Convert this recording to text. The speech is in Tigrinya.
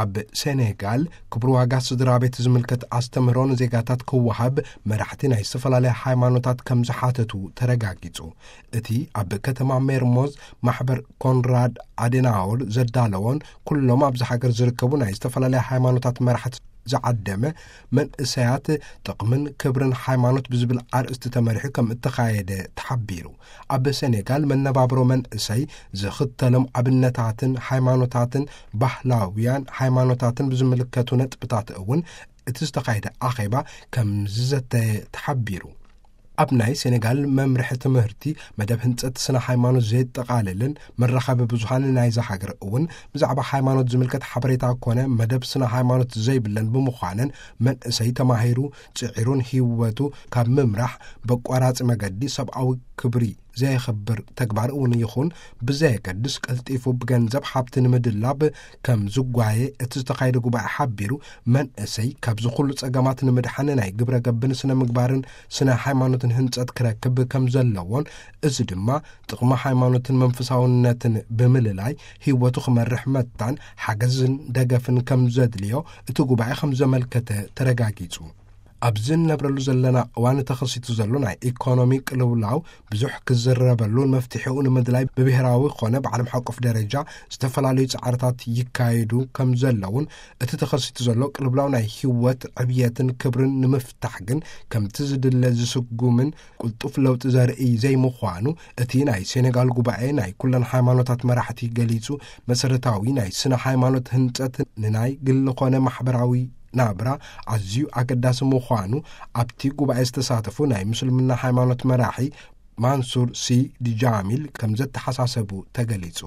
ኣብ ሴኔጋል ክብሪ ዋጋ ስድራ ቤት ዝምልከት ኣስተምህሮ ንዜጋታት ክወሃብ መራሕቲ ናይ ዝተፈላለያ ሃይማኖታት ከም ዝሓተቱ ተረጋጊጹ። እቲ ኣብ ከተማ ሜርሞዝ ማሕበር ኮንራድ ኣዴናወር ዘዳለዎን ኩሎም ኣብዚ ሃገር ዝርከቡ ናይ ዝተፈላለያ ሃይማኖታት መራሕቲ ዝዓደመ መንእሰያት ጥቕምን ክብርን ሃይማኖት ብዝብል ኣርእስቲ ተመሪሑ ከም እተኻየደ ተሓቢሩ። ኣብ ሴኔጋል መነባብሮ መንእሰይ ዝኽተሎም ኣብነታትን ሃይማኖታትን ባህላውያን ሃይማኖታትን ብዝምልከቱ ነጥብታት እውን እቲ ዝተኻየደ ኣኼባ ከም ዝዘተየ ተሓቢሩ። ኣብ ናይ ሴኔጋል መምርሒ ትምህርቲ መደብ ህንጸት ስነ ሃይማኖት ዘየጠቓልልን መራኸቢ ብዙሃን ናይዛ ሃገር እውን ብዛዕባ ሃይማኖት ዝምልከት ሓበሬታ ኮነ መደብ ስነ ሃይማኖት ዘይብለን ብምዃነን መንእሰይ ተማሂሩ ጽዒሩን ህይወቱ ካብ ምምራሕ በቋራጺ መገዲ ሰብኣዊ ክብሪ ዘየኽብር ተግባር እውን ይኹን ብዘየገድስ ቀልጢፉ ብገንዘብ ሃብቲ ንምድላብ ከም ዝጓየ እቲ ዝተኻየደ ጉባኤ ሓቢሩ፣ መንእሰይ ካብዚ ኩሉ ጸገማት ንምድሓን ናይ ግብረ ገብን ስነ ምግባርን ስነ ሃይማኖትን ህንጸት ክረክብ ከም ዘለዎን፣ እዚ ድማ ጥቕሚ ሃይማኖትን መንፈሳውነትን ብምልላይ ህይወቱ ክመርሕ መታን ሓገዝን ደገፍን ከም ዘድልዮ እቲ ጉባኤ ከም ዘመልከተ ተረጋጊጹ። ኣብዚ እንነብረሉ ዘለና እዋን ተኸሲቱ ዘሎ ናይ ኢኮኖሚ ቅልውላው ብዙሕ ክዝረበሉን መፍትሒኡ ንምድላይ ብብሄራዊ ኮነ ብዓለም ሓቆፍ ደረጃ ዝተፈላለዩ ጻዕርታት ይካየዱ ከም ዘለውን፣ እቲ ተኸሲቱ ዘሎ ቅልውላው ናይ ህይወት ዕብየትን ክብርን ንምፍታሕ ግን ከምቲ ዝድለ ዝስጉምን ቅልጡፍ ለውጢ ዘርኢ ዘይምዃኑ እቲ ናይ ሴኔጋል ጉባኤ ናይ ኩለን ሃይማኖታት መራሕቲ ገሊጹ፣ መሰረታዊ ናይ ስነ ሃይማኖት ህንጸት ንናይ ግሊ ኮነ ማሕበራዊ ናብራ ኣዝዩ ኣገዳሲ ምዃኑ ኣብቲ ጉባኤ ዝተሳተፉ ናይ ምስልምና ሃይማኖት መራሒ ማንሱር ሲ ዲጃሚል ከም ዘተሓሳሰቡ ተገሊጹ።